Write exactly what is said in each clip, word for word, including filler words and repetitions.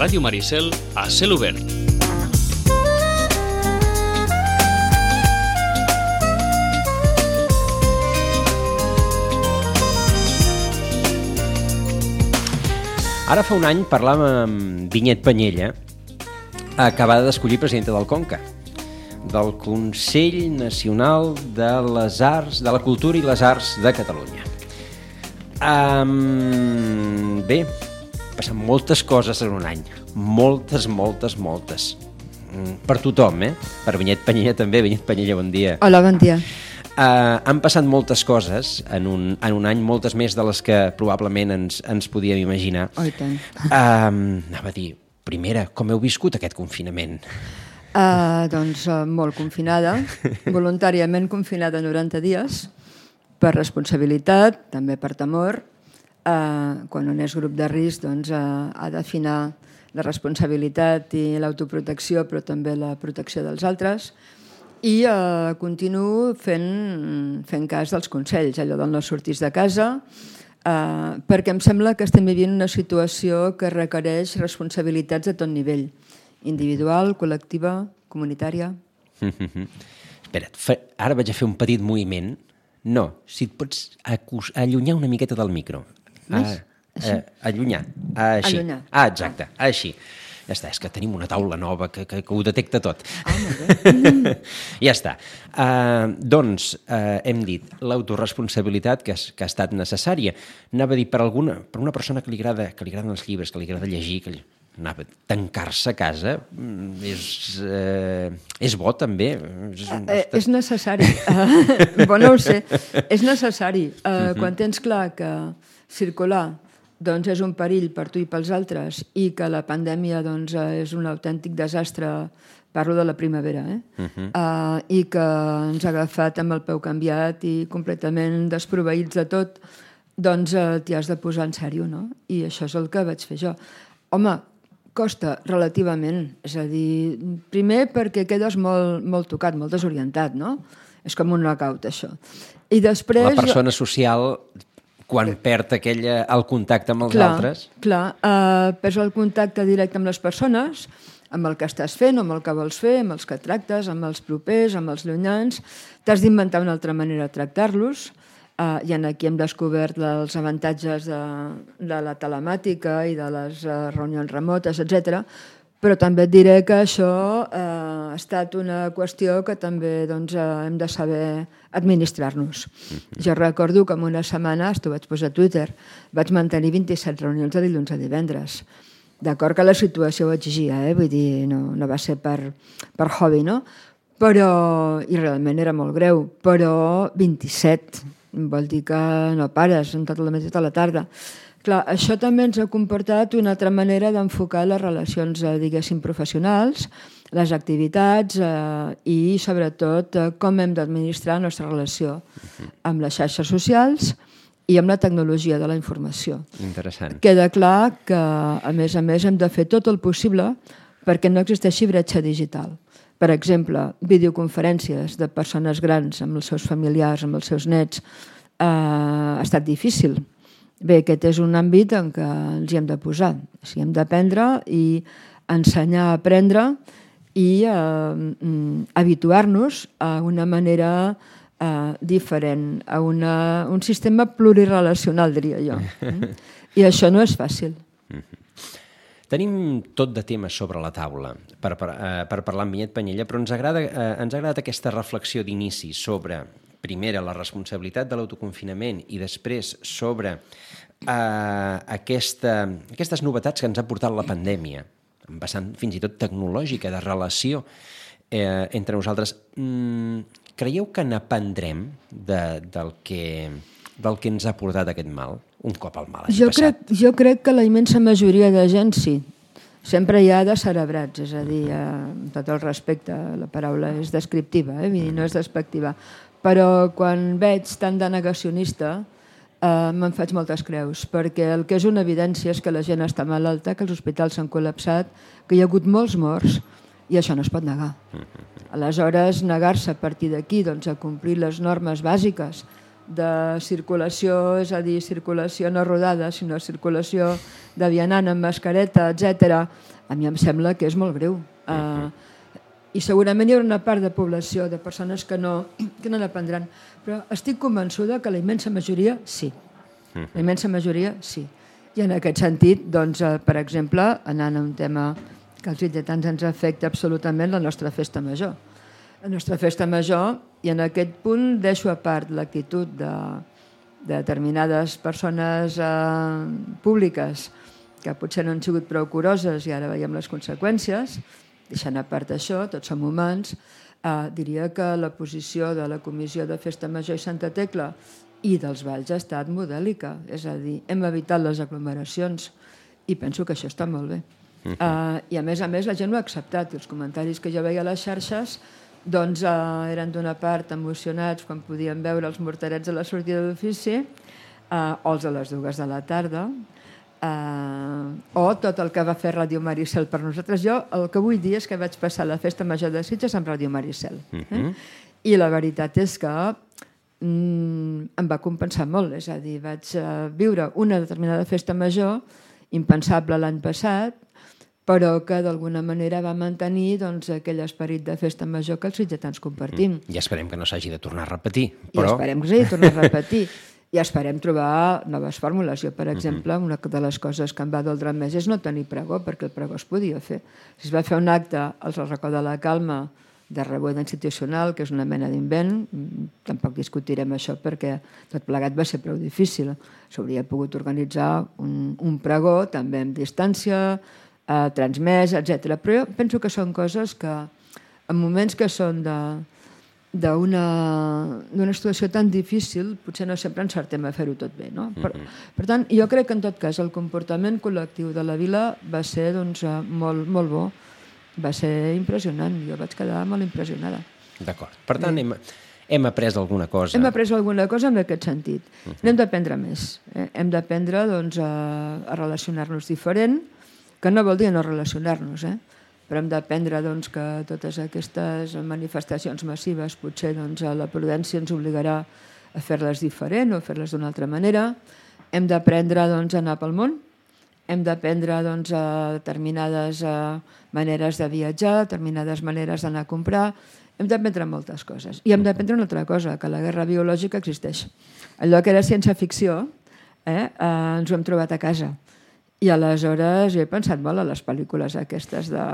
Ràdio Maricel a cel obert. Ara fa un any parlàvem amb Vinyet Penyella, acabada d'escollir presidenta del Conca, del Consell Nacional de les Arts, de la Cultura i les Arts de Catalunya. Um, bé, passen moltes coses en un any, moltes, moltes, moltes. Per tothom, eh? Per Vinyet Penyella també. Vinyet Penyella, bon dia. Hola, bon dia. Uh, han passat moltes coses en un, en un any, moltes més de les que probablement ens, ens podíem imaginar. Oh, i tant. Uh, anava a dir, primera, com heu viscut aquest confinament? Uh, doncs uh, molt confinada, voluntàriament confinada noranta dies, per responsabilitat, també per temor. Uh, quan un és grup de risc, doncs uh, ha d'afinar la responsabilitat i l'autoprotecció, però també la protecció dels altres. I eh, continuo fent, fent cas dels consells, allò del no sortir de casa, eh, perquè em sembla que estem vivint una situació que requereix responsabilitats de tot nivell, individual, col·lectiva, comunitària. Mm-hmm. Espera't, fa, ara vaig a fer un petit moviment. No, si et pots acus, allunyar una miqueta del micro. Més? Ah, eh, allunyar. Ah, així. Allunyar. Ah, exacte, ah. així. Ja està, és que tenim una taula nova que, que, que ho detecta tot. Ah, molt bé. Ja està. Uh, doncs, uh, hem dit, l'autoresponsabilitat que, que ha estat necessària. Anava a dir, per, alguna, per una persona que li agrada que li agraden els llibres, que li agrada llegir, que li, anava, tancar-se a casa és, uh, és bo també. És, uh, és necessari. Uh, bo, no ho sé. És necessari. Uh, uh-huh. Quan tens clar que circular doncs és un perill per tu i pels altres i que la pandèmia doncs, és un autèntic desastre, parlo de la primavera, eh? Uh-huh. uh, i que ens ha agafat amb el peu canviat i completament desproveïts de tot, doncs uh, t'hi has de posar en sèrio, no? I això és el que vaig fer jo. Home, costa relativament, és a dir, primer perquè quedes molt, molt tocat, molt desorientat, no? És com un knockout, això. I després... La persona social... quan perd aquell, el contacte amb els clar, altres. Clar, uh, perds el contacte directe amb les persones, amb el que estàs fent, amb el que vols fer, amb els que tractes, amb els propers, amb els llunyans. T'has d'inventar una altra manera de tractar-los. Uh, I aquí hem descobert els avantatges de, de la telemàtica i de les uh, reunions remotes, etcètera. Però també et diré que això eh, ha estat una qüestió que també doncs, eh, hem de saber administrar-nos. Mm-hmm. Jo recordo que en una setmana, t'ho vaig posar a Twitter, vaig mantenir vint-i-set reunions de dilluns a divendres. D'acord que la situació ho exigia, eh? Vull dir, no, no va ser per, per hobby, no? Però, i realment era molt greu, però vint-i-set, vol dir que no pares en tota la matí, tota la tarda. Clar, això també ens ha comportat una altra manera d'enfocar les relacions, eh, diguéssim, professionals, les activitats eh, i, sobretot, eh, com hem d'administrar la nostra relació amb les xarxes socials i amb la tecnologia de la informació. Interessant. Queda clar que, a més a més, hem de fer tot el possible perquè no existeixi bretxa digital. Per exemple, videoconferències de persones grans amb els seus familiars, amb els seus nets, eh, ha estat difícil. Bé, aquest és un àmbit en què ens hi hem de posar. O sigui, hem d'aprendre i ensenyar a aprendre i eh, habituar-nos a una manera eh, diferent, a una, un sistema plurirelacional, diria jo. I això no és fàcil. Tenim tot de temes sobre la taula per, per, eh, per parlar amb Vinyet Penyella, però ens agrada, eh, ens ha agradat aquesta reflexió d'inici sobre... primera, la responsabilitat de l'autoconfinament i després sobre eh, aquesta, aquestes novetats que ens ha portat la pandèmia, en vessant fins i tot tecnològica, de relació eh, entre nosaltres. Mm, creieu que n'aprendrem de, del, que, del que ens ha portat aquest mal, un cop el mal hagi jo passat? Crec, jo crec que la immensa majoria de gent sí. Sempre hi ha descerebrats, és a dir, amb tot el respecte, la paraula és descriptiva, eh? No és despectiva. Però quan veig tant de negacionista eh, me'n faig moltes creus, perquè el que és una evidència és que la gent està malalta, que els hospitals s'han col·lapsat, que hi ha hagut molts morts i això no es pot negar. Aleshores, negar-se a partir d'aquí doncs, a complir les normes bàsiques de circulació, és a dir, circulació no rodada, sinó circulació de vianant amb mascareta, etcètera, a mi em sembla que és molt greu. Uh, I segurament hi haurà una part de població, de persones que no, que no n'aprendran, però estic convençuda que la immensa majoria sí. La immensa majoria sí. I en aquest sentit, doncs, uh, per exemple, anant a un tema que als lleidatans ens afecta absolutament, la nostra festa major. La nostra festa major, i en aquest punt deixo a part l'actitud de, de determinades persones eh, públiques que potser no han sigut prou curoses i ara veiem les conseqüències, deixant a part això, tots som humans, eh, diria que la posició de la Comissió de Festa Major i Santa Tecla i dels Valls ha estat modèlica, és a dir, hem evitat les aglomeracions i penso que això està molt bé. Uh, I a més a més la gent ho ha acceptat. Els comentaris que jo veia a les xarxes doncs, uh, eren d'una part emocionats quan podien veure els morterets a la sortida d'ofici uh, o els a les dues de la tarda uh, o tot el que va fer Ràdio Maricel per nosaltres. Jo el que vull dir és que vaig passar la festa major de Sitges amb Ràdio Maricel eh? I la veritat és que mm, em va compensar molt, és a dir, vaig uh, viure una determinada festa major impensable l'any passat, però que d'alguna manera va mantenir doncs, aquell esperit de festa major que els sitgetans compartim. I esperem que no s'hagi de tornar a repetir. Però... I esperem que s'hagi de tornar a repetir. I esperem trobar noves fórmules. Jo, per exemple, una de les coses que em va doldre més és no tenir pregó, perquè el pregó es podia fer. Si es va fer un acte al Racó de la Calma de rebuda institucional, que és una mena d'invent, tampoc discutirem això perquè tot plegat va ser prou difícil. S'hauria pogut organitzar un, un pregó també amb distància, eh, transmès, etcètera. Però jo penso que són coses que en moments que són de d'una situació tan difícil potser no sempre encertem a fer-ho tot bé, no? Per, per tant, jo crec que en tot cas el comportament col·lectiu de la vila va ser doncs, molt, molt bo, va ser impressionant, jo vaig quedar molt impressionada. D'acord, per tant hem, hem après alguna cosa. Hem après alguna cosa en aquest sentit. Uh-huh. N'hem d'aprendre més, eh? Hem d'aprendre doncs, a, a relacionar-nos diferent, que no vol dir no relacionar-nos, eh? Però hem d'aprendre doncs, que totes aquestes manifestacions massives potser doncs, la prudència ens obligarà a fer-les diferent o a fer-les d'una altra manera. Hem d'aprendre doncs, a anar pel món, hem d'aprendre doncs, a determinades uh, maneres de viatjar, determinades maneres d'anar a comprar, hem d'aprendre moltes coses. I hem d'aprendre una altra cosa, que la guerra biològica existeix. Allò que era ciència-ficció eh, eh, ens ho hem trobat a casa. I aleshores jo he pensat molt a les pel·lícules aquestes de,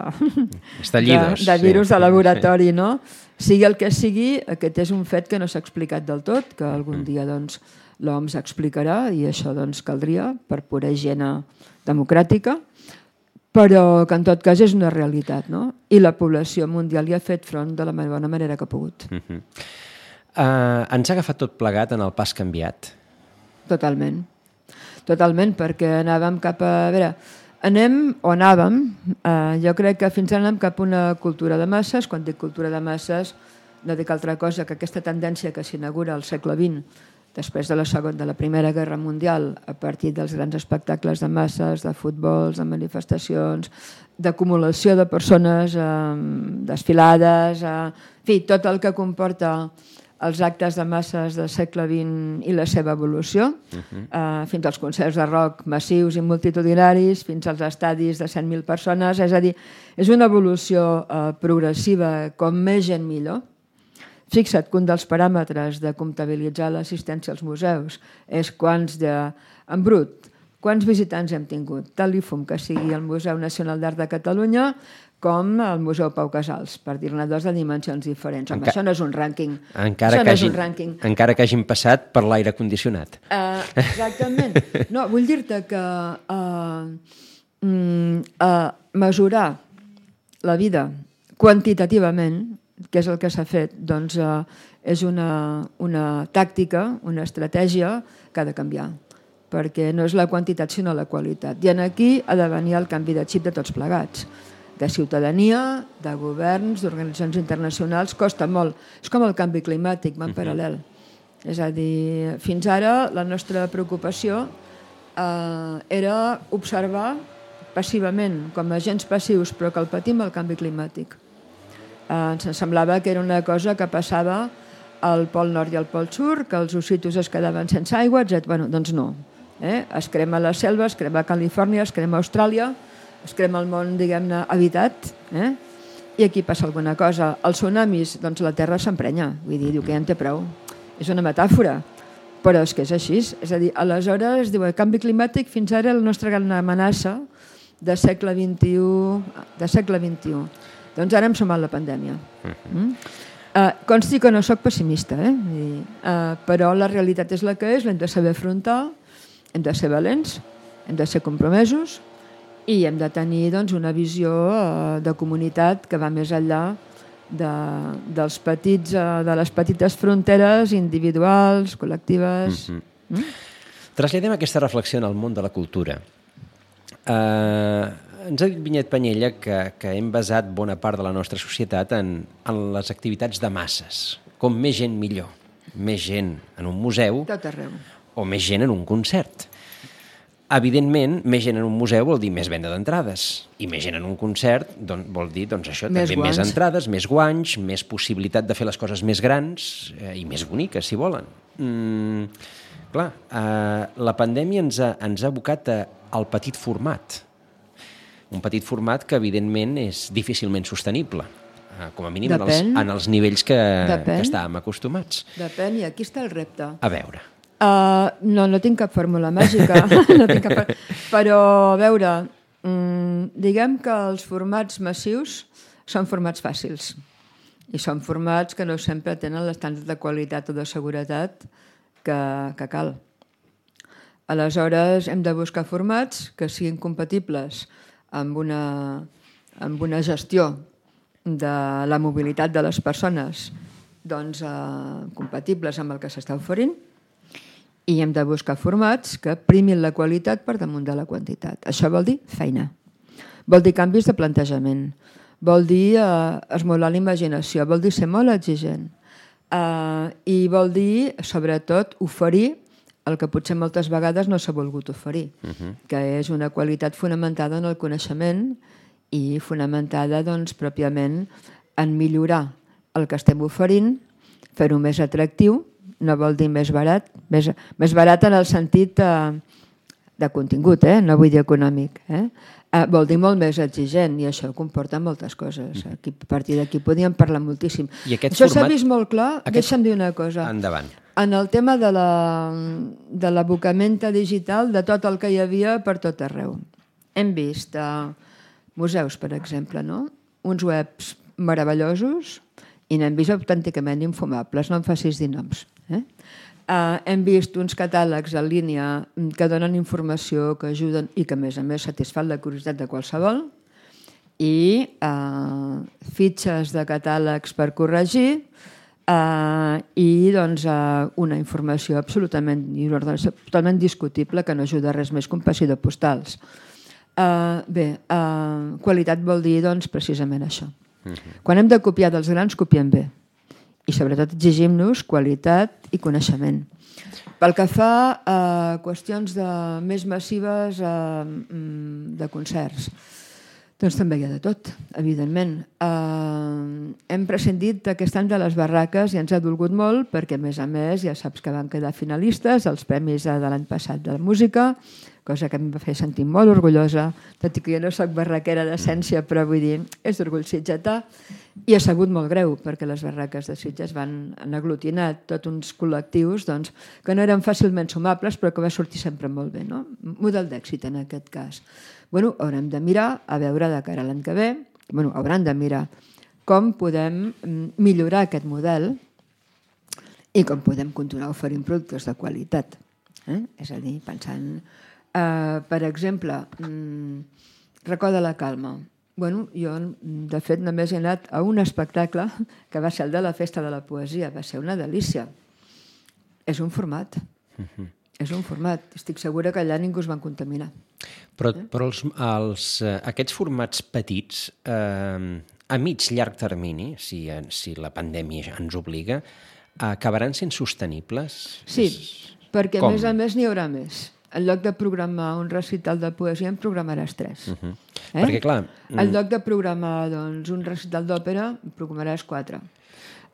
de, de virus sí. de laboratori, no? Sigui el que sigui, aquest és un fet que no s'ha explicat del tot, que algun dia doncs, l'O M S explicarà i això doncs, caldria per pura higiene democràtica, però que en tot cas és una realitat, no? I la població mundial hi ha fet front de la bona manera que ha pogut. Uh-huh. uh, ens ha agafat tot plegat en el pas canviat? Totalment. Totalment, perquè anàvem cap a... A veure, anem o anàvem, eh, jo crec que fins ara anem cap a una cultura de masses. Quan dic cultura de masses no dic altra cosa que aquesta tendència que s'inaugura al segle vint, després de la segona, de la Primera Guerra Mundial, a partir dels grans espectacles de masses, de futbols, de manifestacions, d'acumulació de persones, eh, desfilades, eh, en fi, tot el que comporta els actes de masses del segle vint i la seva evolució, uh-huh. eh, fins als concerts de rock massius i multitudinaris, fins als estadis de cent mil persones, és a dir, és una evolució eh, progressiva, com més gent millor. Fixa't que un dels paràmetres de comptabilitzar l'assistència als museus és quants de... en brut, quants visitants hem tingut, tal i fum que sigui el Museu Nacional d'Art de Catalunya com el Museu Pau Casals, per dir-ne dos de dimensions diferents. Home, Enca... això no és un rànquing. Encara, això que no hagin, és un rànquing. Encara que hagin passat per l'aire condicionat. Uh, exactament. No, vull dir-te que uh, uh, mesurar la vida quantitativament, que és el que s'ha fet, doncs uh, és una, una tàctica, una estratègia que ha de canviar, perquè no és la quantitat sinó la qualitat. I aquí ha de venir el canvi de xip de tots plegats, de ciutadania, de governs, d'organitzacions internacionals, costa molt. És com el canvi climàtic, va en paral·lel. És a dir, fins ara la nostra preocupació eh, era observar passivament, com a agents passius, però que el patim el canvi climàtic. Eh, ens semblava que era una cosa que passava al Pol Nord i al Pol Sud, que els ossitos es quedaven sense aigua, etcètera. Bueno, doncs no. Eh? Es crema la selva, es crema Califòrnia, es crema Austràlia, es crema el món, diguem-ne, habitat, eh? I aquí passa alguna cosa. Els tsunamis, doncs la terra s'emprenya, vull dir, diu que ja en té prou. És una metàfora, però és que és així. És a dir, aleshores, diu, el canvi climàtic fins ara la nostra gran amenaça de segle vint-i-u, de segle vint-i-u. Doncs ara hem sumat la pandèmia. Mm? Uh, consti que no sóc pessimista, eh? I, uh, però la realitat és la que és, l'hem de saber afrontar, hem de ser valents, hem de ser compromesos i hem de tenir doncs, una visió uh, de comunitat que va més enllà de, dels petits, uh, de les petites fronteres individuals, col·lectives. Mm-hmm. Mm? Traslladem aquesta reflexió en el món de la cultura. Uh, ens ha dit Vinyet Penyella que, que hem basat bona part de la nostra societat en, en les activitats de masses. Com més gent, millor. Més gent en un museu Tot arreu. O més gent en un concert. Evidentment, més gent en un museu vol dir més venda d'entrades. I més gent en un concert doncs, vol dir doncs, això, més també guanys. Més entrades, més guanys, més possibilitat de fer les coses més grans eh, i més boniques, si volen. Mm, clar, eh, la pandèmia ens ha, ens ha abocat a, al petit format. Un petit format que, evidentment, és difícilment sostenible. Eh, com a mínim en els, en els nivells que, que estàvem acostumats. Depèn, i aquí està el repte. A veure... Uh, no, no tinc cap fórmula màgica, no tinc cap... però a veure, um, diguem que els formats massius són formats fàcils i són formats que no sempre tenen l'estàndard de qualitat o de seguretat que, que cal. Aleshores hem de buscar formats que siguin compatibles amb una, amb una gestió de la mobilitat de les persones doncs, uh, compatibles amb el que s'està oferint. I hem de buscar formats que primin la qualitat per damunt de la quantitat. Això vol dir feina. Vol dir canvis de plantejament. Vol dir eh, esmolar la imaginació. Vol dir ser molt exigent. Eh, I vol dir, sobretot, oferir el que potser moltes vegades no s'ha volgut oferir, uh-huh. que és una qualitat fonamentada en el coneixement i fonamentada, doncs, pròpiament en millorar el que estem oferint, fer-ho més atractiu. No vol dir més barat, més, més barat en el sentit eh, de contingut, eh? No vull dir econòmic. Eh? Eh, vol dir molt més exigent i això comporta moltes coses. Aquí, a partir d'aquí podíem parlar moltíssim. Això s'ha vist molt clar. Aquest... Deixa'm dir una cosa. Endavant. En el tema de la, de l'abocament digital de tot el que hi havia per tot arreu. Hem vist eh, museus, per exemple, no? Uns webs meravellosos i n'hem vist autènticament infumables, no em facis dir noms. Eh? Uh, hem vist uns catàlegs en línia que donen informació, que ajuden i que, a més a més, satisfan la curiositat de qualsevol, i uh, fitxes de catàlegs per corregir uh, i doncs, uh, una informació absolutament, totalment discutible que no ajuda res més que un passi de postals. Uh, bé, uh, qualitat vol dir doncs, precisament això. Uh-huh. Quan hem de copiar dels grans, copiem bé. I sobretot exigim-nos qualitat i coneixement. Pel que fa a qüestions de, més massives a, de concerts, doncs també hi ha de tot, evidentment. Uh, hem prescindit aquest any de les barraques i ens ha dolgut molt perquè, a més a més, ja saps que van quedar finalistes als premis de l'any passat de la música, cosa que em va fer sentir molt orgullosa, tot i que jo no soc barraquera d'essència, però vull dir, és d'orgull sitgetà, i ha sabut molt greu, perquè les barraques de Sitges van aglutinar tots uns col·lectius doncs, que no eren fàcilment sumables, però que va sortir sempre molt bé. No? Model d'èxit, en aquest cas. Bueno, haurem de mirar, a veure de cara a l'any que ve, bueno, hauran de mirar com podem millorar aquest model i com podem continuar oferint productes de qualitat. Eh? És a dir, pensant... Uh, per exemple, um, Racó de la Calma. Bueno, jo, de fet, només he anat a un espectacle que va ser el de la Festa de la Poesia. Va ser una delícia. És un format. Uh-huh. És un format. Estic segura que allà ningú es van contaminar. Però, eh? però els, els, aquests formats petits, eh, a mig llarg termini, si, si la pandèmia ens obliga, acabaran sent sostenibles? Sí, perquè a més a més n'hi haurà més. En lloc de programar un recital de poesia, en programaràs tres. Uh-huh. eh? Perquè, clar... En lloc de programar doncs, un recital d'òpera, en programaràs quatre.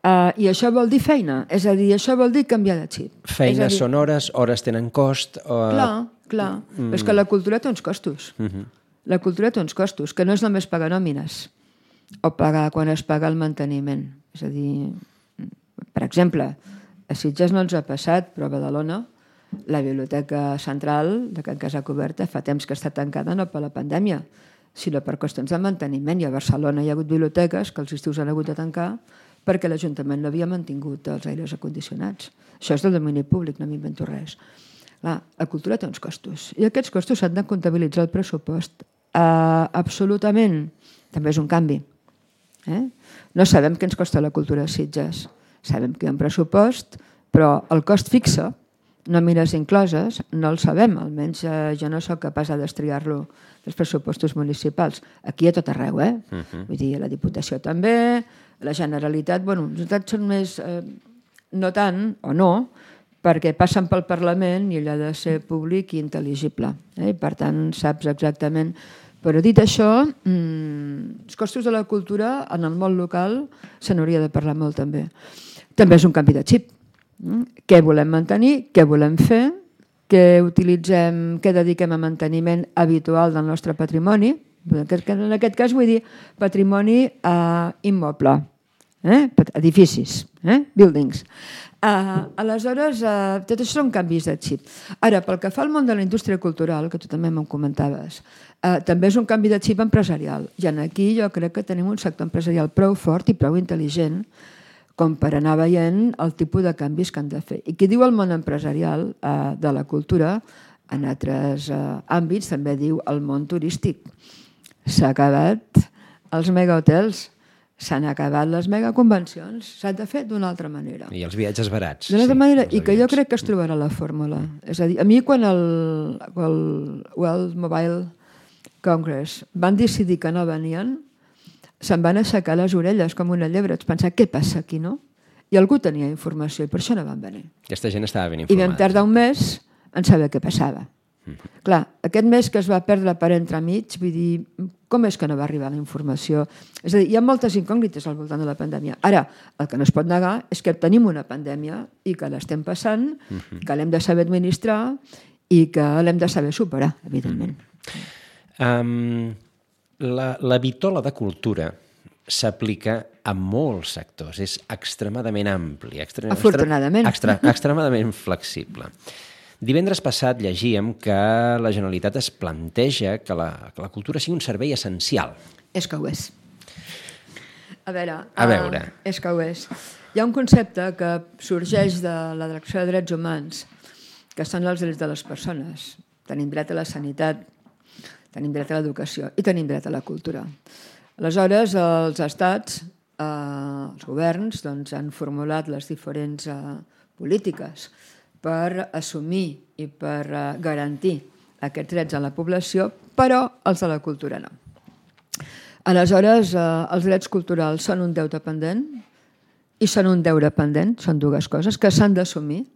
Uh, I això vol dir feina, és a dir, això vol dir canviar de xip. Feines dir... són hores, hores tenen cost... O... Clar, clar. Mm. Però és que la cultura té uns costos. Mm -hmm. La cultura té uns costos, que no és només pagar nòmines o pagar quan es paga el manteniment. És a dir, per exemple, a Sitges no ens ha passat, però a Badalona, la Biblioteca Central de Can Casacoberta fa temps que està tancada no per la pandèmia, sinó per qüestions de manteniment. I a Barcelona hi ha hagut biblioteques que els estius han hagut de tancar perquè l'Ajuntament no havia mantingut els aires acondicionats. Això és del domini públic, no m'invento res. Clar, la cultura té uns costos, i aquests costos s'han de comptabilitzar al pressupost. Uh, absolutament. També és un canvi. Eh? No sabem què ens costa la cultura a Sitges. Sabem que hi ha un pressupost, però el cost fixe, nòmines incloses, no el sabem, almenys eh, jo no sóc capaç de destriar-lo dels pressupostos municipals. Aquí a tot arreu, eh? Uh-huh. Vull dir, la Diputació també, la Generalitat, bueno, les Generalitats són més, eh, no tant, o no, perquè passen pel Parlament i allò ha de ser públic i intel·ligible. Eh? I per tant, saps exactament. Però dit això, mmm, els costos de la cultura en el món local se n'hauria de parlar molt també. També és un canvi de xip. Mm? Què volem mantenir, què volem fer, què utilitzem, què dediquem a manteniment habitual del nostre patrimoni. En aquest cas vull dir patrimoni eh, immoble, eh? Edificis, eh? Buildings. Uh, aleshores, uh, tot això són canvis de xip. Ara, pel que fa al món de la indústria cultural, que tu també me'n comentaves, uh, també és un canvi de xip empresarial. I aquí jo crec que tenim un sector empresarial prou fort i prou intel·ligent com per anar veient el tipus de canvis que han de fer. I qui diu el món empresarial uh, de la cultura, en altres uh, àmbits també diu el món turístic. S'ha acabat els megahotels, s'han acabat les megaconvencions, s'ha de fer d'una altra manera. I els viatges barats. D'una altra sí, manera, i que jo crec que es trobarà la fórmula. És a dir, a mi quan el, el World Mobile Congress van decidir que no venien, se'n van aixecar les orelles com una llebre. Ets pensar, què passa aquí, no? I algú tenia informació i per això no van venir. Aquesta gent estava ben informada. I vam tardar un mes en saber què passava. Mm-hmm. Clar, aquest mes que es va perdre per entremig, vull dir, com és que no va arribar la informació? És a dir, hi ha moltes incògnites al voltant de la pandèmia. Ara, el que no es pot negar és que tenim una pandèmia i que l'estem passant, mm-hmm. que l'hem de saber administrar i que l'hem de saber superar, evidentment. Mm-hmm. Um, la, la vitola de cultura s'aplica a molts sectors, és extremadament ampli, extre, afortunadament. Extre, extremadament flexible. Divendres passat llegíem que la Generalitat es planteja que la, que la cultura sigui un servei essencial. És que ho és. A veure, a veure. Uh, és que ho és. Hi ha un concepte que sorgeix de la Direcció de Drets Humans, que són els drets de les persones. Tenim dret a la sanitat, tenim dret a l'educació i tenim dret a la cultura. Aleshores, els estats, eh, els governs, doncs, han formulat les diferents eh, polítiques per assumir i per eh, garantir aquests drets a la població, però els de la cultura no. Aleshores, eh, els drets culturals són un deute pendent i són un deure pendent, són dues coses que s'han d'assumir,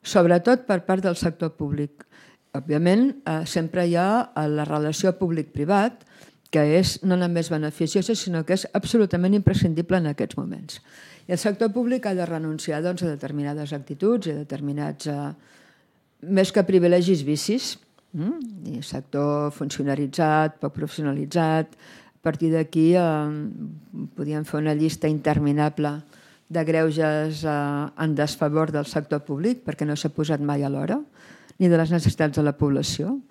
sobretot per part del sector públic. Òbviament, eh, sempre hi ha la relació públic-privat, que és no només beneficiosa, sinó que és absolutament imprescindible en aquests moments. I el sector públic ha de renunciar doncs, a determinades actituds i a determinats, eh, més que privilegis, vicis. Mm? I sector funcionaritzat, poc professionalitzat. A partir d'aquí eh, podríem fer una llista interminable de greuges eh, en desfavor del sector públic, perquè no s'ha posat mai a l'hora, ni de les necessitats de la població.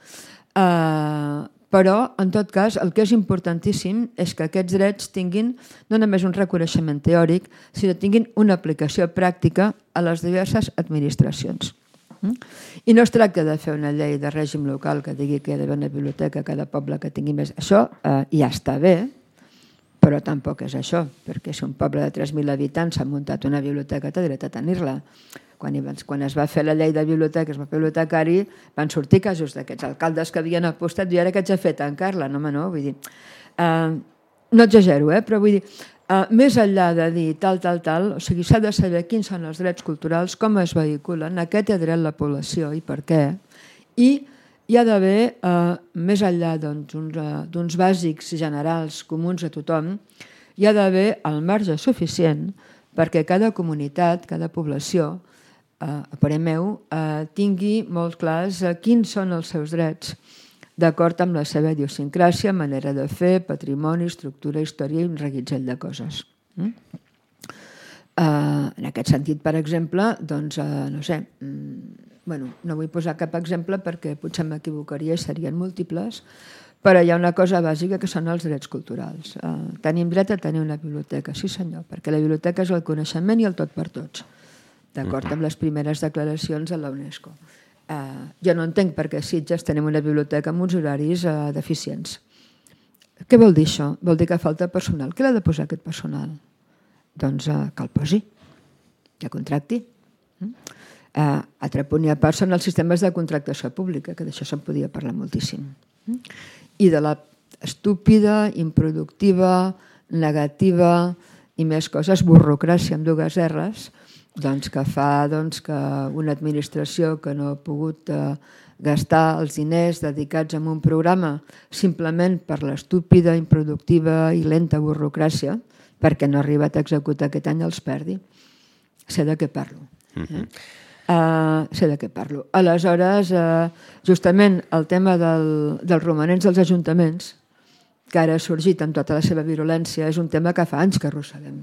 Eh, Però, en tot cas, el que és importantíssim és que aquests drets tinguin no només un reconeixement teòric, sinó que tinguin una aplicació pràctica a les diverses administracions. I no es tracta de fer una llei de règim local que digui que hi ha d'haver una biblioteca a cada poble que tingui més. Això eh, ja està bé, però tampoc és això, perquè si un poble de tres mil habitants s'ha muntat una biblioteca, té dret a tenir-la. Quan, quan es va fer la llei de biblioteques, el bibliotecari, van sortir casos d'aquests alcaldes que havien apostat i ara què ets a fer, tancar-la? No, home, no, vull dir... Uh, no exagero, eh? Però vull dir, uh, més enllà de dir tal, tal, tal, o sigui, s'ha de saber quins són els drets culturals, com es vehiculen, a què té dret la població i per què, i hi ha d'haver, uh, més enllà doncs, uns, uh, d'uns bàsics generals comuns a tothom, hi ha d'haver el marge suficient perquè cada comunitat, cada població, a parer meu, tingui molt clars quins són els seus drets, d'acord amb la seva idiosincràsia, manera de fer, patrimoni, estructura, història i un reguitzell de coses. En aquest sentit, per exemple, doncs, no sé, bueno, no vull posar cap exemple perquè potser m'equivocaria i serien múltiples, però hi ha una cosa bàsica que són els drets culturals. Tenim dret a tenir una biblioteca, sí senyor, perquè la biblioteca és el coneixement i el tot per tots, d'acord amb les primeres declaracions de la UNESCO. Jo no entenc per què a Sitges tenim una biblioteca amb uns horaris deficients. Què vol dir això? Vol dir que falta personal. Què l'ha de posar aquest personal? Doncs que el posi, que contracti. Altre punt i a part són els sistemes de contractació pública, que d'això se'n podia parlar moltíssim. I de la estúpida, improductiva, negativa i més coses, burocràcia amb dues erres, doncs que fa doncs, que una administració que no ha pogut eh, gastar els diners dedicats a un programa simplement per l'estúpida, improductiva i lenta burocràcia, perquè no ha arribat a executar aquest any, els perdi. Sé de què parlo. Eh? Uh, sé de què parlo. Aleshores, uh, justament el tema del, dels romanents dels ajuntaments, que ara ha sorgit amb tota la seva virulència, és un tema que fa anys que arrosseguem.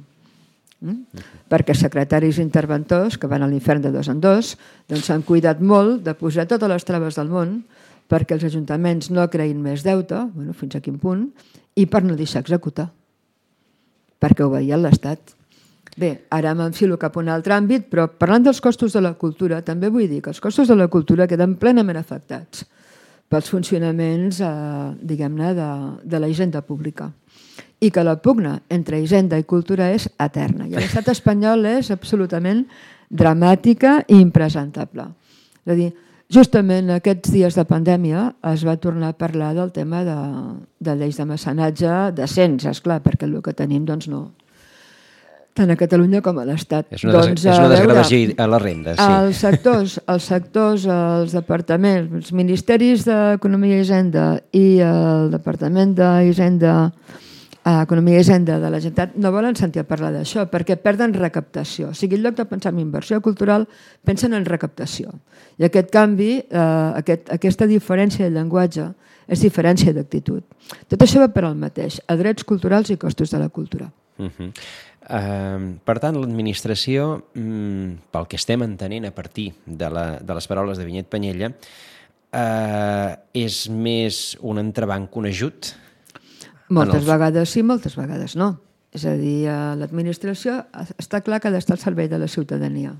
Mm? Perquè secretaris interventors que van a l'infern de dos en dos doncs s'han cuidat molt de posar totes les traves del món perquè els ajuntaments no creïn més deute, bueno, fins a quin punt, i per no deixar executar, perquè obeïen l'Estat. Bé, ara m'enfilo cap a un altre àmbit, però parlant dels costos de la cultura, també vull dir que els costos de la cultura queden plenament afectats pels funcionaments, eh, diguem-ne, de, de la hisenda pública. I que la pugna entre hisenda i cultura és eterna. I l'estat espanyol és absolutament dramàtica i impresentable. És a dir, justament aquests dies de pandèmia es va tornar a parlar del tema de, de lleis de mecenatge decents, esclar, perquè el que tenim doncs no, tant a Catalunya com a l'Estat. És una, doncs, és una desgravació a la renda, sí. Els sectors, els sectors, els departaments, els ministeris d'Economia i Hisenda i el Departament d'Hisenda, Economia i Hisenda de la Generalitat no volen sentir a parlar d'això perquè perden recaptació. O sigui, en lloc de pensar en inversió cultural, pensen en recaptació. I aquest canvi, eh, aquest, aquesta diferència de llenguatge és diferència d'actitud. Tot això va per al mateix, a drets culturals i costos de la cultura. Uh-huh. Uh, per tant, l'administració, um, pel que estem entenent a partir de, la, de les paraules de Vinyet Penyella, uh, és més un entrebanc que un ajut? Moltes els... vegades sí, moltes vegades no. És a dir, l'administració està clar que ha d'estar al servei de la ciutadania.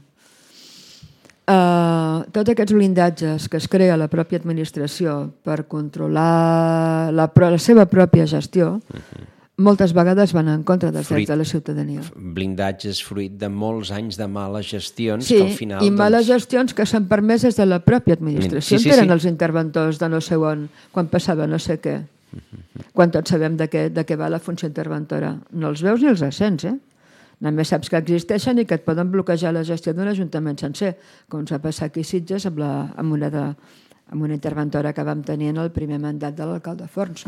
Uh, tots aquests blindatges que es crea la pròpia administració per controlar la, la seva pròpia gestió, uh-huh. moltes vegades van en contra dels fruit, drets de la ciutadania. Blindatges fruit de molts anys de males gestions sí, que al final... i males doncs... gestions que s'han permès des de la pròpia administració. Sí, sí, eren sí. Els interventors de no sé on, quan passava no sé què. Quan tots sabem de què, de què va la funció interventora. No els veus ni els sents, eh? Només saps que existeixen i que et poden bloquejar la gestió d'un ajuntament sencer, com ens va passar aquí a Sitges amb, la, amb, una de, amb una interventora que vam tenir en el primer mandat de l'alcalde Forns,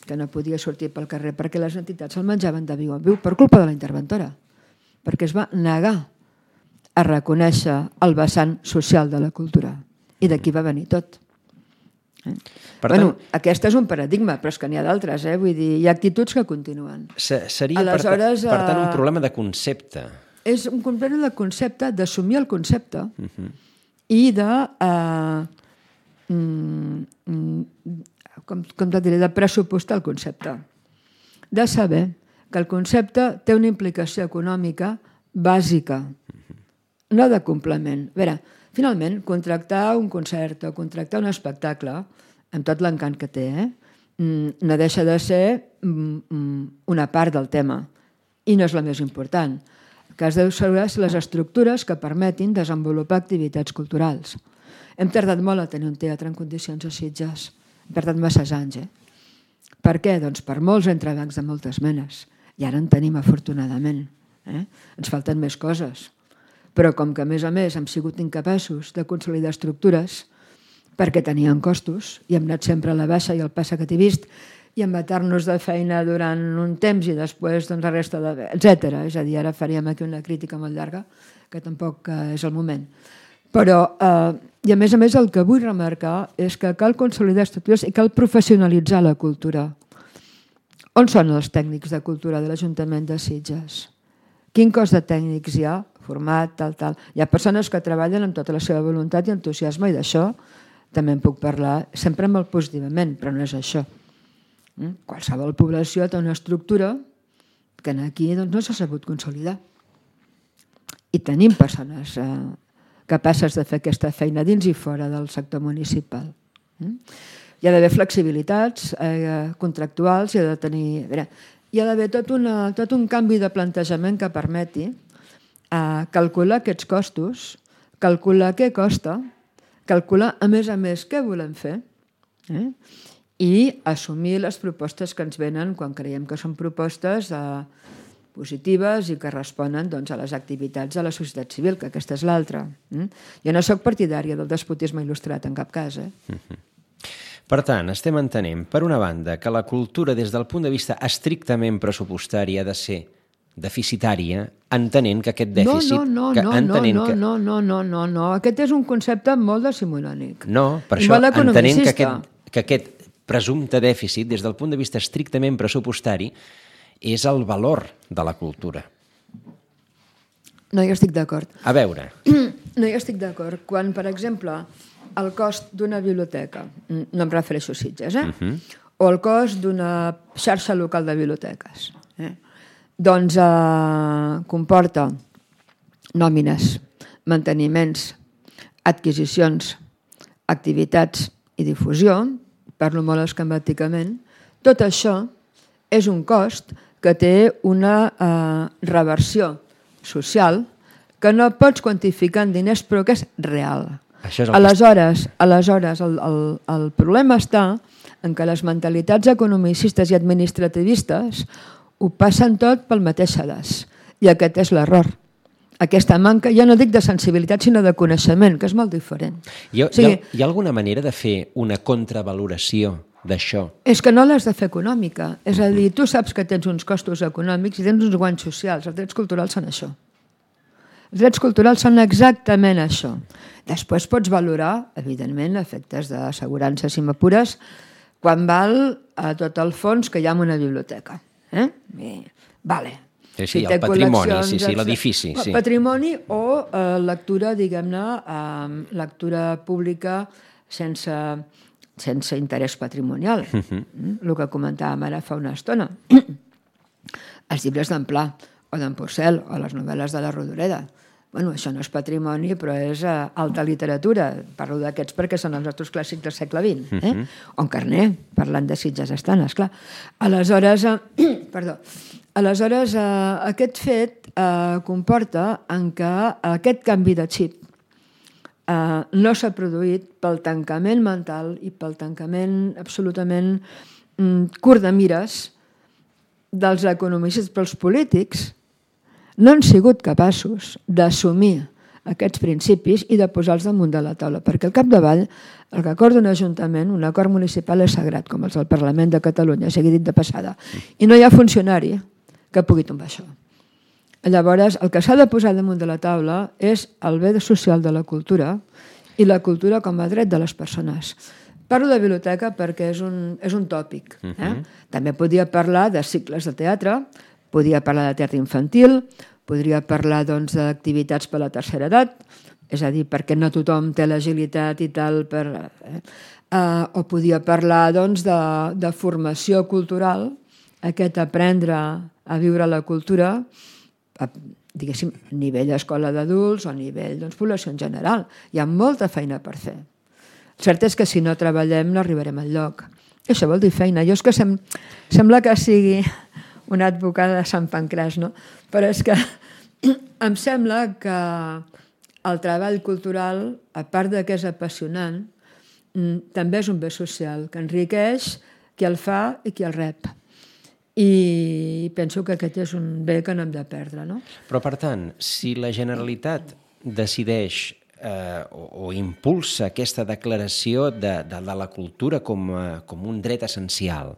que no podia sortir pel carrer perquè les entitats el menjaven de viu en viu per culpa de la interventora, perquè es va negar a reconèixer el vessant social de la cultura. I d'aquí va venir tot. Eh? Per bueno, tant, aquest és un paradigma, però és que n'hi ha d'altres, eh? Vull dir, hi ha actituds que continuen. Seria, Aleshores, per, per tant, un problema de concepte. És un problema de concepte, d'assumir el concepte uh-huh. i de, uh, mm, com, com te diré, de pressupostar el concepte. De saber que el concepte té una implicació econòmica bàsica, uh-huh. no de complement. A veure, finalment, contractar un concert o contractar un espectacle, amb tot l'encant que té, eh? no deixa de ser una part del tema i no és la més important. El que has de saber és les estructures que permetin desenvolupar activitats culturals. Hem tardat molt a tenir un teatre en condicions a Sitges. Hem tardat masses anys. Eh? Per què? Doncs per molts entrebancs de moltes menes. I ara en tenim, afortunadament. Eh? Ens falten més coses. Però com que, a més a més, hem sigut incapaços de consolidar estructures perquè tenien costos i hem anat sempre a la baixa i el passa que t'he vist i en matar-nos de feina durant un temps i després doncs, la resta de... etcètera. És a dir, ara faríem aquí una crítica molt llarga, que tampoc eh, és el moment. Però, eh, i a més a més, el que vull remarcar és que cal consolidar estructures i cal professionalitzar la cultura. On són els tècnics de cultura de l'Ajuntament de Sitges? Quin cos de tècnics hi ha? Format, tal, tal. Hi ha persones que treballen amb tota la seva voluntat i entusiasme i d'això també en puc parlar sempre molt positivament, però no és això. Qualsevol població té una estructura que aquí doncs, no s'ha sabut consolidar. I tenim persones eh, capaces de fer aquesta feina dins i fora del sector municipal. Hi ha d'haver flexibilitats eh, contractuals, hi ha de tenir... A veure, hi ha d'haver tot, una, tot un canvi de plantejament que permeti eh, calcular aquests costos, calcular què costa, calcular, a més a més, què volem fer eh? I assumir les propostes que ens venen quan creiem que són propostes eh, positives i que responen doncs, a les activitats de la societat civil, que aquesta és l'altra. Eh? Jo no soc partidària del despotisme il·lustrat, en cap cas. Eh? Mm-hmm. Per tant, estem entenent, per una banda, que la cultura des del punt de vista estrictament pressupostari ha de ser deficitària, entenent que aquest dèficit... No, no, no, que, no, entenent no, que... no, no, no, no, no. Aquest és un concepte molt decimonònic. No, per això, entenent que aquest, que aquest presumpte dèficit, des del punt de vista estrictament pressupostari, és el valor de la cultura. No hi estic d'acord. A veure... No hi estic d'acord. Quan, per exemple, el cost d'una biblioteca, no em refereixo a Sitges, eh? Uh-huh. O el cost d'una xarxa local de biblioteques, eh? doncs eh, comporta nòmines, manteniments, adquisicions, activitats i difusió, parlo molt esquemàticament, tot això és un cost que té una eh, reversió social que no pots quantificar en diners però que és real. Això és el aleshores, aleshores el, el, el problema està en que les mentalitats economicistes i administrativistes ho passen tot pel mateix sedàs. I aquest és l'error. Aquesta manca, ja no dic de sensibilitat, sinó de coneixement, que és molt diferent. Hi ha, o sigui, hi ha, hi ha alguna manera de fer una contravaloració d'això? És que no l'has de fer econòmica. És a dir, tu saps que tens uns costos econòmics i tens uns guanys socials. Els drets culturals són això. Els drets culturals són exactament això. Després pots valorar, evidentment, efectes d'assegurança, si m'apures, quan val a tot el fons que hi ha en una biblioteca. Eh? I, vale. Sí, sí, si el patrimoni, sí, sí, l'edifici. Sí. Patrimoni o eh, lectura, diguem-ne, eh, lectura pública sense, sense interès patrimonial. Uh-huh. El que comentàvem ara fa una estona. Els llibres d'en Pla, o d'en Porcel, o les novel·les de la Rodoreda. Bueno, això no és patrimoni, però és uh, alta literatura. Parlo d'aquests perquè són els nostres clàssics del segle vint. Eh? Uh-huh. O en Carner, parlant de Sitges estan, esclar. Aleshores, uh, perdó, aleshores uh, aquest fet uh, comporta en que aquest canvi de xip uh, no s'ha produït pel tancament mental i pel tancament absolutament um, curt de mires dels economistes, però els polítics no han sigut capaços d'assumir aquests principis i de posar-los damunt de la taula, perquè al capdavall el que acorda un ajuntament, un acord municipal és sagrat, com els del Parlament de Catalunya, sigui dit de passada, i no hi ha funcionari que pugui tombar això. Llavors, el que s'ha de posar damunt de la taula és el bé social de la cultura i la cultura com a dret de les persones. Parlo de biblioteca perquè és un, és un tòpic. Eh? Uh-huh. També podria parlar de cicles de teatre, podria parlar de teatre infantil, podria parlar doncs, d'activitats per a la tercera edat, és a dir, perquè no tothom té l'agilitat i tal, per, eh? Uh, o podria parlar doncs, de, de formació cultural, aquest aprendre a viure la cultura, a, diguéssim, a nivell escola d'adults o a nivell doncs, població en general. Hi ha molta feina per fer. El cert és que si no treballem no arribarem enlloc. Això vol dir feina. Jo és que sem sembla que sigui una advocada de Sant Pancràs, no? Però és que em sembla que el treball cultural, a part de que és apassionant, també és un bé social, que enriqueix qui el fa i qui el rep. I penso que aquest és un bé que no hem de perdre, no? Però, per tant, si la Generalitat decideix eh, o, o impulsa aquesta declaració de, de, de la cultura com, a, com un dret essencial,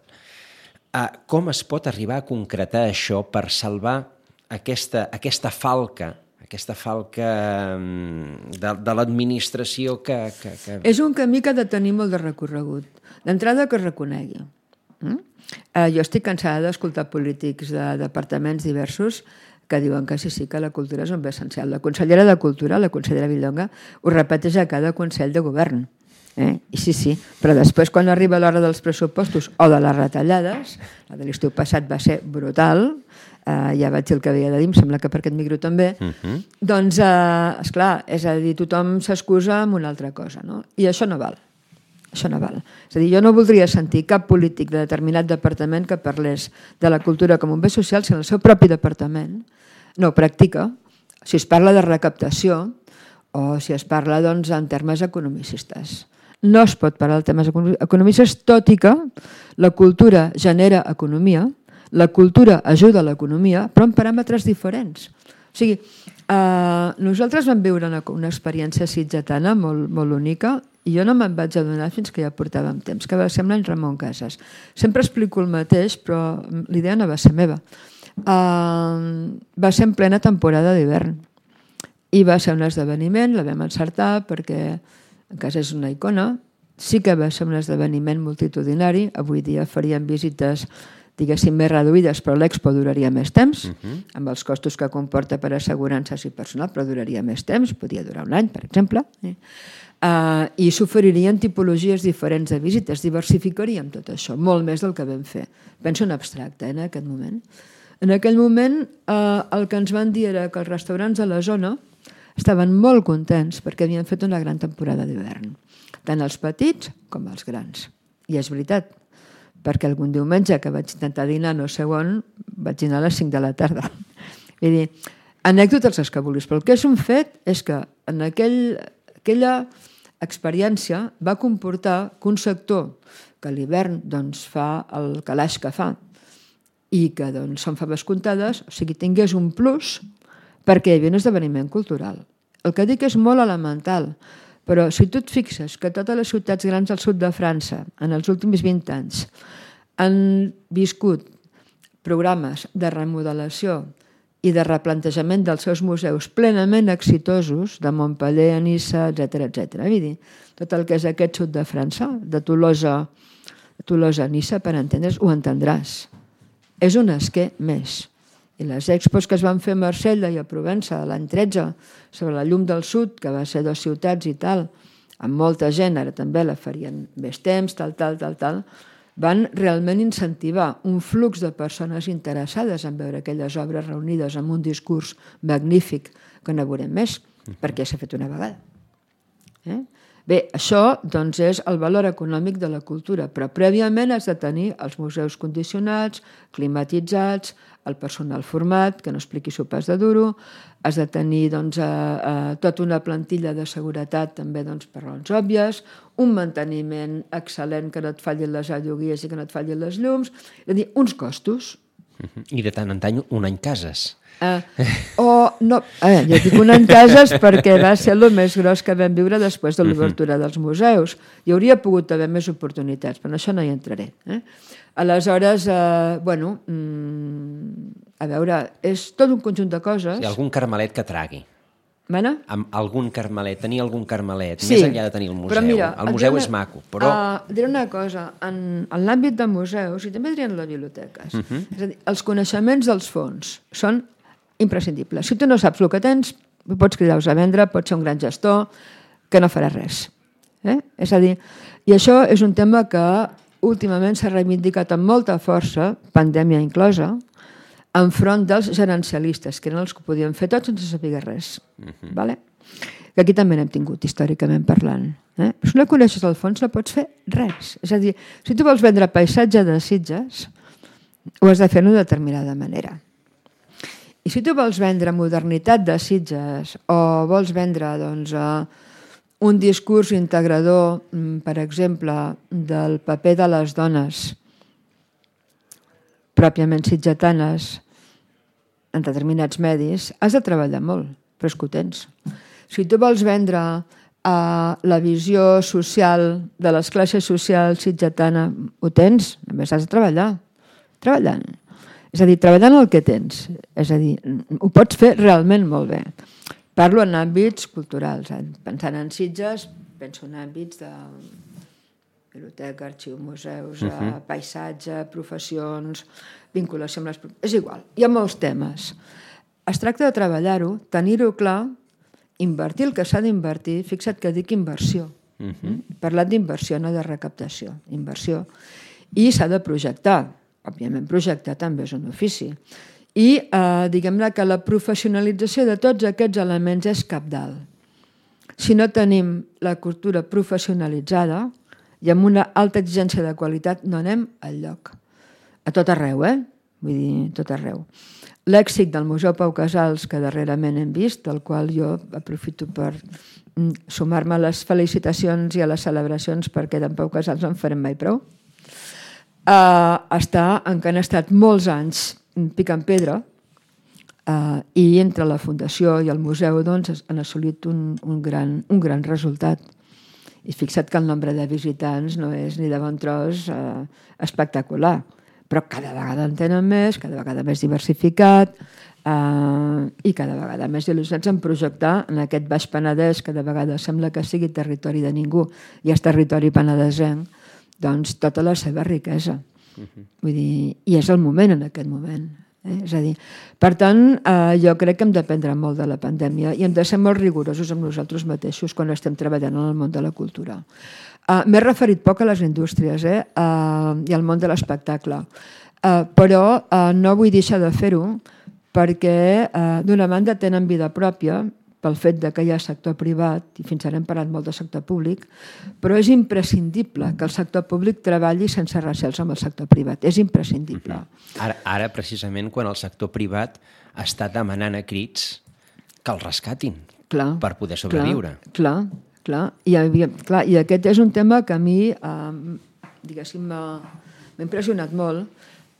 Uh, com es pot arribar a concretar això per salvar aquesta, aquesta falca, aquesta falca de, de l'administració que, que, que... És un camí que ha de tenir molt de recorregut. D'entrada, que es reconegui. Mm? Uh, jo estic cansada d'escoltar polítics de departaments diversos que diuen que sí, sí, que la cultura és un bé essencial. La consellera de Cultura, la consellera Vilallonga, ho repeteix a cada Consell de Govern. Eh? I sí, sí, però després quan arriba l'hora dels pressupostos o de les retallades, la de l'estiu passat va ser brutal, eh, ja vaig dir el que havia de dir, em sembla que per aquest micro també, uh-huh. doncs, eh, esclar, és a dir, tothom s'excusa amb una altra cosa, no? I això no val. Això no val. És a dir, jo no voldria sentir cap polític de determinat departament que parlés de la cultura com un bé social si en el seu propi departament no ho practica, si es parla de recaptació o si es parla doncs, en termes economicistes. No es pot parlar de temes economicistes, tot i que la cultura genera economia, la cultura ajuda a l'economia, però en paràmetres diferents. O sigui, eh, nosaltres vam viure una, una experiència sitgetana molt, molt única i jo no me'n vaig adonar fins que ja portàvem temps, que va ser amb l'any Ramon Casas. Sempre explico el mateix, però l'idea no va ser meva. Uh, va ser en plena temporada d'hivern i va ser un esdeveniment, la vam encertar perquè en casa és una icona, sí que va ser un esdeveniment multitudinari, avui dia faríem visites diguéssim més reduïdes, però l'expo duraria més temps, uh-huh. amb els costos que comporta per assegurances i personal, però duraria més temps, podia durar un any, per exemple, eh? uh, i s'oferirien tipologies diferents de visites, diversificaríem tot això, molt més del que vam fer. Penso en abstracte, eh, en aquest moment. En aquell moment eh, el que ens van dir era que els restaurants de la zona estaven molt contents perquè havien fet una gran temporada d'hivern, tant els petits com els grans. I és veritat, perquè algun diumenge que vaig intentar dinar no sé on, vaig dinar a les cinc de la tarda. Vull dir, anècdotes els que vulguis, però el que és un fet és que en aquell, aquella experiència va comportar que un sector que a l'hivern doncs, fa el calaix que fa i que doncs, són faves comptades, o sigui, tingués un plus perquè hi havia un esdeveniment cultural. El que dic és molt elemental, però si tu et fixes que totes les ciutats grans del sud de França en els últims vint anys han viscut programes de remodelació i de replantejament dels seus museus plenament exitosos, de Montpellier a Niça, etcètera, etcètera. Vull dir, tot el que és aquest sud de França, de Tolosa, de Tolosa a Niça, per entendre's, ho entendràs. És un esquer més. I les expos que es van fer a Marsella i a Provença l'any tretze sobre la llum del sud, que va ser dues ciutats i tal, amb molta gent, ara també la farien més temps, tal, tal, tal, tal, van realment incentivar un flux de persones interessades en veure aquelles obres reunides amb un discurs magnífic que no veurem més, perquè s'ha fet una vegada. Eh? Bé, això doncs, és el valor econòmic de la cultura, però prèviament has de tenir els museus condicionats, climatitzats, el personal format, que no expliqui sopars de duro, has de tenir doncs, a, a, tota una plantilla de seguretat també doncs, per raons òbvies, un manteniment excel·lent que no et fallin les alloguies i que no et fallin les llums, és a dir, uns costos. I de tant en tant un any cases. Uh, o no, eh, jo dic un any cases perquè va ser el més gros que vam viure després de l'obertura dels museus. Hi hauria pogut haver més oportunitats, però en això no hi entraré. Eh? Aleshores, eh, bueno, mm, a veure, és tot un conjunt de coses. Sí, algun carmelet que tragui. Mana? Amb algun carmelet, tenir algun carmelet, sí, més enllà de tenir el museu. Però mira, el museu una, és maco, però... Uh, diré una cosa, en, en l'àmbit de museus, i també diré en les biblioteques, uh -huh. és a dir, els coneixements dels fons són imprescindibles. Si tu no saps el que tens, pots cridar-los a vendre, pots ser un gran gestor, que no farà res. Eh? És a dir, i això és un tema que últimament s'ha reivindicat amb molta força, pandèmia inclosa, enfront dels gerencialistes, que eren els que ho podien fer tot sense saber res. Uh-huh. Vale? Que aquí també n'hem tingut, històricament parlant. Eh? Però si no coneixes el fons, no pots fer res. És a dir, si tu vols vendre paisatge de Sitges, ho has de fer d'una determinada manera. I si tu vols vendre modernitat de Sitges o vols vendre doncs, un discurs integrador, per exemple, del paper de les dones pròpiament sitgetanes en determinats medis, has de treballar molt, però és que ho tens. Si tu vols vendre uh, la visió social de les classes socials sitgetana, ho tens, només has de treballar. treballant. És a dir, treballant el que tens. És a dir, ho pots fer realment molt bé. Parlo en àmbits culturals. Pensant en Sitges, penso en àmbits de biblioteca, arxiu, museus, uh-huh. paisatge, professions, vinculació amb les... És igual, hi ha molts temes. Es tracta de treballar-ho, tenir-ho clar, invertir el que s'ha d'invertir, fixa't que dic inversió. Uh-huh. Parlat d'inversió, no de recaptació, inversió. I s'ha de projectar. Òbviament, projectar també és un ofici. I eh, diguem-ne que la professionalització de tots aquests elements és cabdal. Si no tenim la cultura professionalitzada i amb una alta exigència de qualitat, no anem enlloc. A tot arreu, eh? Vull dir, tot arreu. L'èxit del Museu Pau Casals, que darrerament hem vist, del qual jo aprofito per sumar-me a les felicitacions i a les celebracions, perquè d'en Pau Casals no en farem mai prou, Uh, està en què han estat molts anys picant pedra uh, i entre la Fundació i el museu doncs, han assolit un, un, gran, un gran resultat. I fixa't que el nombre de visitants no és ni de bon tros uh, espectacular, però cada vegada en tenen més, cada vegada més diversificat uh, i cada vegada més il·lusionats en projectar en aquest Baix Penedès, que de vegades sembla que sigui territori de ningú i és territori penedesenc, doncs tota la seva riquesa. Uh-huh. Vull dir, i és el moment en aquest moment. Eh? És a dir, per tant, eh, jo crec que hem d'aprendre molt de la pandèmia i hem de ser molt rigorosos amb nosaltres mateixos quan estem treballant en el món de la cultura. Uh, M'he referit poc a les indústries eh? uh, i al món de l'espectacle, uh, però uh, no vull deixar de fer-ho perquè uh, d'una banda tenen vida pròpia pel fet de que hi ha sector privat, i fins ara hem parlat molt de sector públic, però és imprescindible que el sector públic treballi sense recels amb el sector privat. És imprescindible. Mm-hmm. Ara, ara, precisament, quan el sector privat està demanant a crits que el rescatin clar, per poder sobreviure. Clar, clar, clar. I, havia, clar. I aquest és un tema que a mi, eh, diguéssim, m'ha impressionat molt,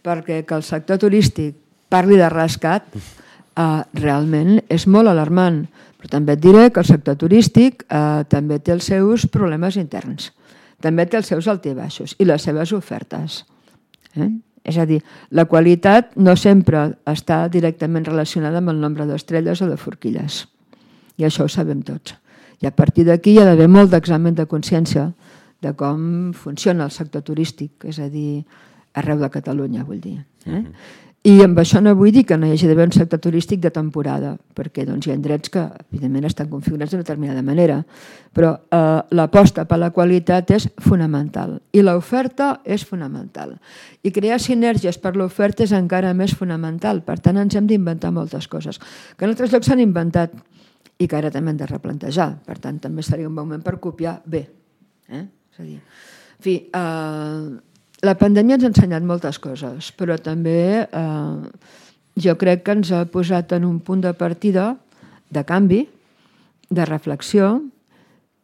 perquè que el sector turístic parli de rescat eh, realment és molt alarmant. Però també et diré que el sector turístic eh, també té els seus problemes interns, també té els seus altibaixos i les seves ofertes. Eh? És a dir, la qualitat no sempre està directament relacionada amb el nombre d'estrelles o de forquilles. I això ho sabem tots. I a partir d'aquí hi ha d'haver molt d'examen de consciència de com funciona el sector turístic, és a dir, arreu de Catalunya, vull dir. Eh? Mm-hmm. I amb això no vull dir que no hi hagi d'haver un sector turístic de temporada, perquè doncs, hi ha indrets que, evidentment, estan configurats d'una determinada manera, però eh, l'aposta per la qualitat és fonamental i l'oferta és fonamental. I crear sinergies per l'oferta és encara més fonamental, per tant, ens hem d'inventar moltes coses, que en altres llocs s'han inventat i que ara també hem de replantejar. Per tant, també seria un bon moment per copiar bé. Eh? És a dir, en fi, eh, la pandèmia ens ha ensenyat moltes coses, però també eh, jo crec que ens ha posat en un punt de partida de canvi, de reflexió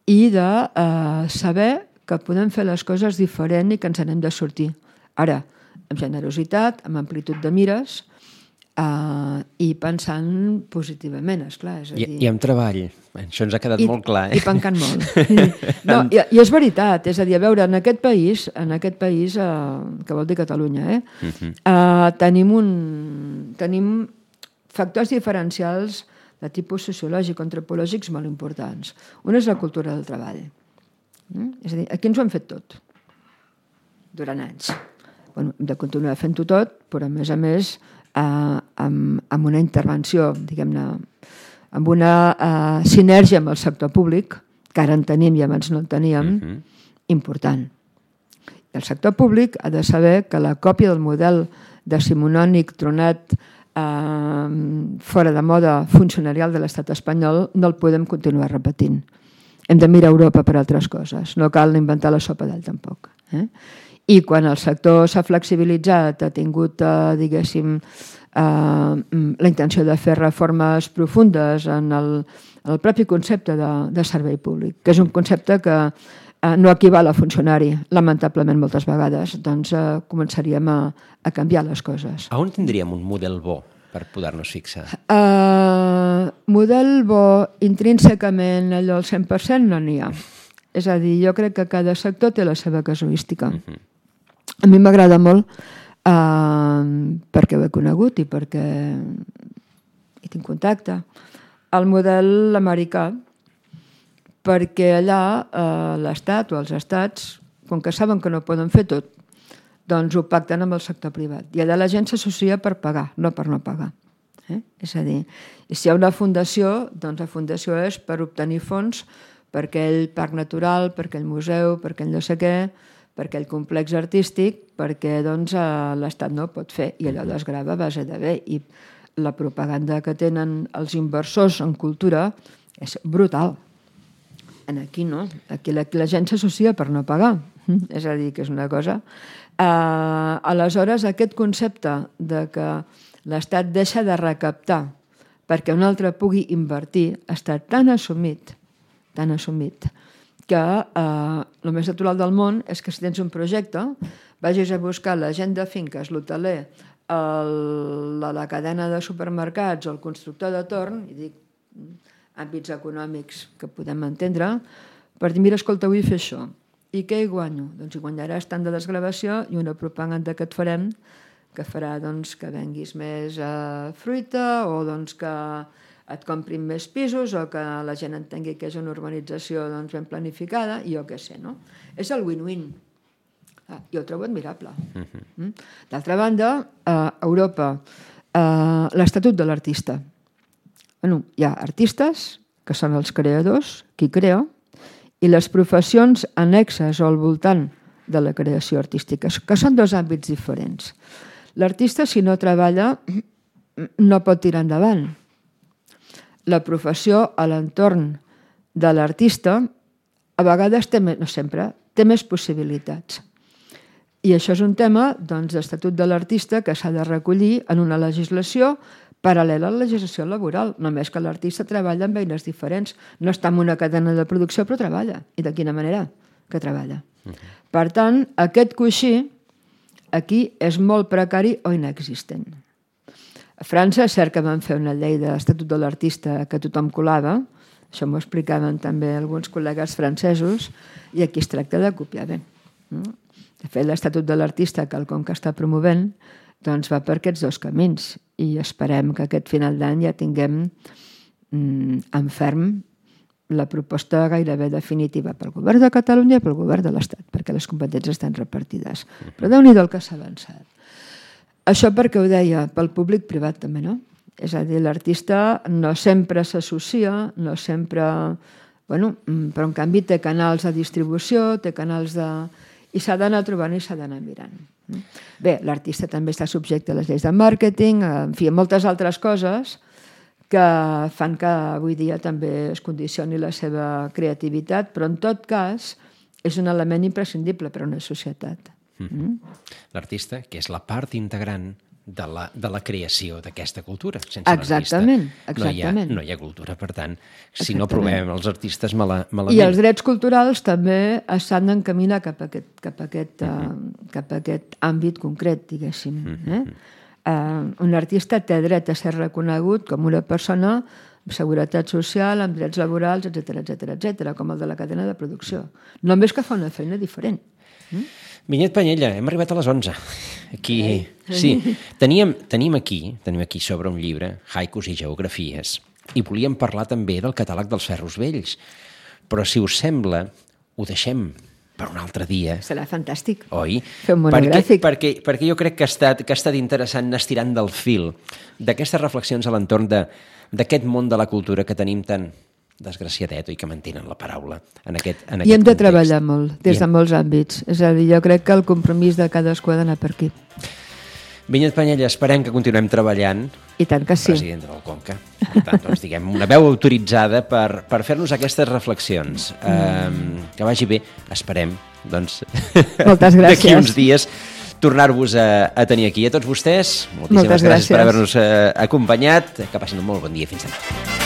i de eh, saber que podem fer les coses diferent i que ens n'hem de sortir. Ara, amb generositat, amb amplitud de mires eh, i pensant positivament, esclar. És a dir... I, I amb treball. Això ens ha quedat I, molt clar. Eh? I pencant molt. No, i, I és veritat, és a dir, a veure, en aquest país, en aquest país eh, que vol dir Catalunya, eh, uh-huh. eh, tenim, un, tenim factors diferencials de tipus sociològic o antropològics molt importants. Un és la cultura del treball. Mm? És a dir, aquí ens ho hem fet tot, durant anys. Bueno, hem de continuar fent-ho tot, però a més a més eh, amb, amb una intervenció, diguem-ne, amb una uh, sinergia amb el sector públic, que ara en tenim i abans no en teníem, uh-huh. important. I el sector públic ha de saber que la còpia del model decimonònic tronat uh, fora de moda funcionarial de l'estat espanyol no el podem continuar repetint. Hem de mirar a Europa per altres coses. No cal inventar la sopa d'all tampoc. Eh? I quan el sector s'ha flexibilitzat, ha tingut, uh, diguéssim, Uh, la intenció de fer reformes profundes en el, en el propi concepte de, de servei públic, que és un concepte que uh, no equival a funcionari, lamentablement moltes vegades, doncs uh, començaríem a, a canviar les coses. A on tindríem un model bo per poder-nos fixar? Uh, model bo intrínsecament allò al cent per cent no n'hi ha. És a dir, jo crec que cada sector té la seva casuística. Uh-huh. A mi m'agrada molt uh, perquè ho he conegut i perquè hi tinc contacte. El model americà, perquè allà uh, l'Estat o els estats, com que saben que no poden fer tot, doncs ho pacten amb el sector privat. I allà la gent s'associa per pagar, no per no pagar. Eh? És a dir, si hi ha una fundació, doncs la fundació és per obtenir fons per aquell parc natural, per aquell museu, per aquell no sé què, per aquell complex artístic, perquè doncs, l'Estat no ho pot fer i allò desgrava a base de bé. I la propaganda que tenen els inversors en cultura és brutal. En aquí no, aquí la, la gent s'associa per no pagar, és a dir, que és una cosa. Uh, aleshores, aquest concepte de que l'Estat deixa de recaptar perquè un altre pugui invertir està tan assumit, tan assumit, que eh, el més natural del món és que si tens un projecte vagis a buscar la gent de finques, l'hoteler, el, la, la cadena de supermercats o el constructor de torn, i dic àmbits econòmics que podem entendre, per dir, mira, escolta, vull fer això. I què hi guanyo? Doncs hi guanyaràs tant de desgravació i una propaganda que et farem que farà doncs, que venguis més eh, fruita o doncs, que et comprin més pisos o que la gent entengui que és una urbanització doncs, ben planificada i jo què sé, no? És el win-win. Ah, jo ho trobo admirable. Uh-huh. D'altra banda, a Europa, eh, l'Estatut de l'Artista. Bueno, hi ha artistes, que són els creadors, qui crea, i les professions annexes o al voltant de la creació artística, que són dos àmbits diferents. L'artista, si no treballa, no pot tirar endavant. La professió a l'entorn de l'artista a vegades té més, no sempre, té més possibilitats. I això és un tema doncs, d'Estatut de l'Artista que s'ha de recollir en una legislació paral·lela a la legislació laboral, només que l'artista treballa amb eines diferents. No està en una cadena de producció, però treballa. I de quina manera que treballa. Uh-huh. Per tant, aquest coixí aquí és molt precari o inexistent. A França és cert que van fer una llei de l'Estatut de l'Artista que tothom colava, això m'ho explicaven també alguns col·legues francesos, i aquí es tracta de copiar bé. De fet, l'Estatut de l'Artista, quelcom que està promovent, doncs va per aquests dos camins i esperem que aquest final d'any ja tinguem mm, en ferm la proposta gairebé definitiva pel govern de Catalunya i pel govern de l'Estat, perquè les competències estan repartides. Però Déu-n'hi-do el que s'ha avançat. Això perquè ho deia, pel públic-privat també, no? És a dir, l'artista no sempre s'associa, no sempre... Bueno, però en canvi té canals de distribució, té canals de... i s'ha d'anar trobant i s'ha d'anar mirant. Bé, l'artista també està subjecte a les lleis de màrqueting, en fi, a moltes altres coses que fan que avui dia també es condicioni la seva creativitat, però en tot cas és un element imprescindible per a una societat. Mm. L'artista, que és la part integrant de la, de la creació d'aquesta cultura. Sense exactament, l'artista exactament. No hi ha, no hi ha cultura, per tant, si exactament. No provem els artistes mala, malament... I els drets culturals també s'han d'encaminar cap a aquest, cap a aquest, mm-hmm. uh, cap a aquest àmbit concret, diguéssim. Mm-hmm. Eh? Uh, un artista té dret a ser reconegut com una persona amb seguretat social, amb drets laborals, etcètera, etcètera, etcètera, com el de la cadena de producció. Només que fa una feina diferent. Mm? Vinyet Pañella, hem arribat a les onze. Aquí, sí, teníem, tenim aquí, tenim aquí sobre un llibre, Haikus i geografies, i volíem parlar també del catàleg dels ferros vells. Però, si us sembla, ho deixem per un altre dia. Serà fantàstic. Oi? Fer un monogràfic. Perquè, perquè, perquè jo crec que ha estat, que ha estat interessant anar estirant del fil d'aquestes reflexions a l'entorn d'aquest món de la cultura que tenim tan desgraciadet, oi, que mantenen la paraula en aquest, en aquest I hem de context. treballar molt, des de molts àmbits. És a dir, jo crec que el compromís de cadascú ha d'anar per aquí. Vinyet Pañella, esperem que continuem treballant. I tant que sí. President del Conca. Per tant, doncs, diguem, una veu autoritzada per, per fer-nos aquestes reflexions. Mm. Um, que vagi bé, esperem, doncs, moltes gràcies. D'aquí uns dies tornar-vos a, a tenir aquí. A tots vostès, moltíssimes moltes gràcies, gràcies per haver-nos uh, acompanyat. Que passin un molt bon dia. Fins demà.